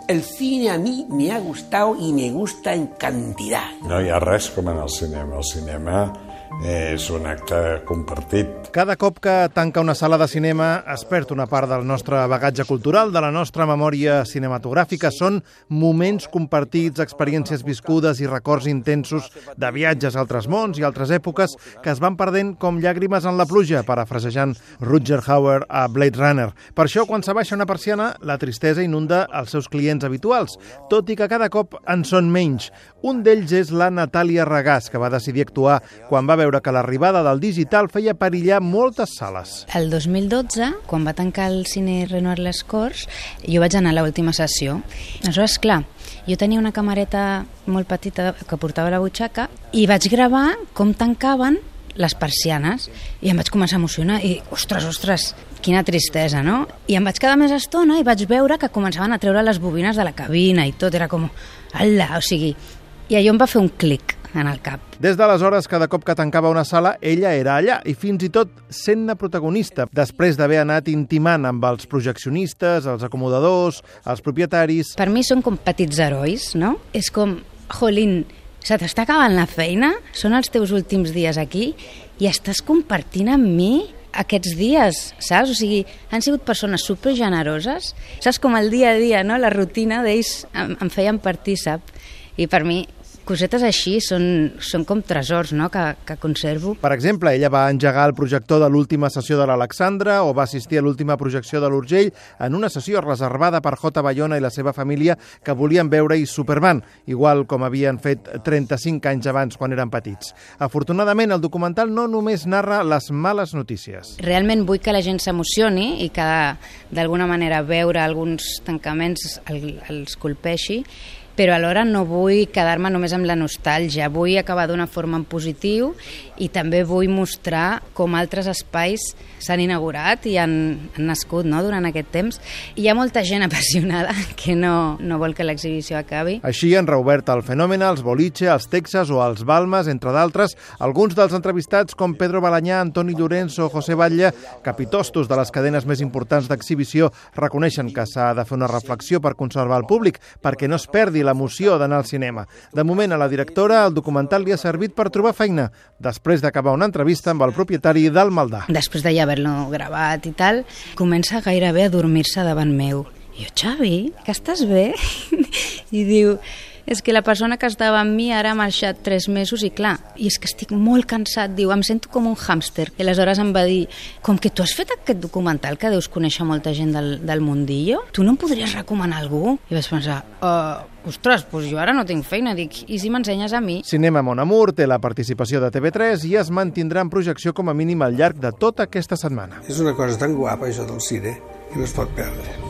El cine a mí me ha gustado y me gusta en cantidad. No hi ha res com en el cinema. El cinema és un acte compartit. Cada cop que tanca una sala de cinema es perd una part del nostre bagatge cultural, de la nostra memòria cinematogràfica. Són moments compartits, experiències viscudes i records intensos de viatges a altres mons i altres èpoques que es van perdent com llàgrimes en la pluja, parafrasejant Rutger Hauer a Blade Runner. Per això, quan s'abaixa una persiana, la tristesa inunda els seus clients habituals, tot i que cada cop en són menys. Un d'ells és la Natàlia Regàs, que va decidir actuar quan va veure que l'arribada del digital feia perillar moltes sales. El 2012, quan va tancar el cine Renoir Les Corts, jo vaig anar a l'última sessió. Aleshores, clar, jo tenia una camareta molt petita que portava a la butxaca i vaig gravar com tancaven les persianes i em vaig començar a emocionar i, ostres, quina tristesa, no? I em vaig quedar més estona i vaig veure que començaven a treure les bobines de la cabina i tot, era com, ala, o sigui, i allò em va fer un clic en el cap. Des d'aleshores, cada cop que tancava una sala, ella era allà i fins i tot sent-ne protagonista, després d'haver anat intimant amb els projeccionistes, els acomodadors, els propietaris. Per mi són com petits herois, no? És com, jolín, se t'està acabant la feina, són els teus últims dies aquí i estàs compartint amb mi aquests dies, saps? O sigui, han sigut persones supergeneroses, saps, com el dia a dia, no? La rutina d'ells em feien partícip i per mi cosetes així són com tresors, no?, que conservo. Per exemple, ella va engegar el projector de l'última sessió de l'Alexandra o va assistir a l'última projecció de l'Urgell en una sessió reservada per J. Bayona i la seva família que volien veure-hi Superman, igual com havien fet 35 anys abans quan eren petits. Afortunadament, el documental no només narra les males notícies. Realment vull que la gent s'emocioni i que d'alguna manera veure alguns tancaments els colpeixi, però alhora no vull quedar-me només amb la nostàlgia, vull acabar d'una forma en positiu i també vull mostrar com altres espais s'han inaugurat i han nascut, no?, durant aquest temps. Hi ha molta gent apassionada que no vol que l'exhibició acabi. Així han reobert el Fenòmena, els Boliche, els Texas o els Balmes, entre d'altres, alguns dels entrevistats com Pedro Balanyà, Antoni Llorens o José Batlle, capitostos de les cadenes més importants d'exhibició, reconeixen que s'ha de fer una reflexió per conservar el públic, perquè no es perdi l'emoció d'anar al cinema. De moment, a la directora, el documental li ha servit per trobar feina, després d'acabar una entrevista amb el propietari del Maldà. Després de ja haver-lo gravat i tal, comença gairebé a dormir-se davant meu. I jo, Xavi, que estàs bé? I diu, és que la persona que estava amb mi ara ha marxat 3 mesos i clar, i és que estic molt cansat, diu, em sento com un hàmster. I aleshores em va dir, com que tu has fet aquest documental que deus conèixer molta gent del mundillo, tu no em podries recomanar algú? I vaig pensar, ostres, doncs jo ara no tinc feina, dic, i si m'ensenyes a mi? Cinema Mon Amour té la participació de TV3 i es mantindrà en projecció com a mínim al llarg de tota aquesta setmana. És una cosa tan guapa, això del cine, que no es pot perdre.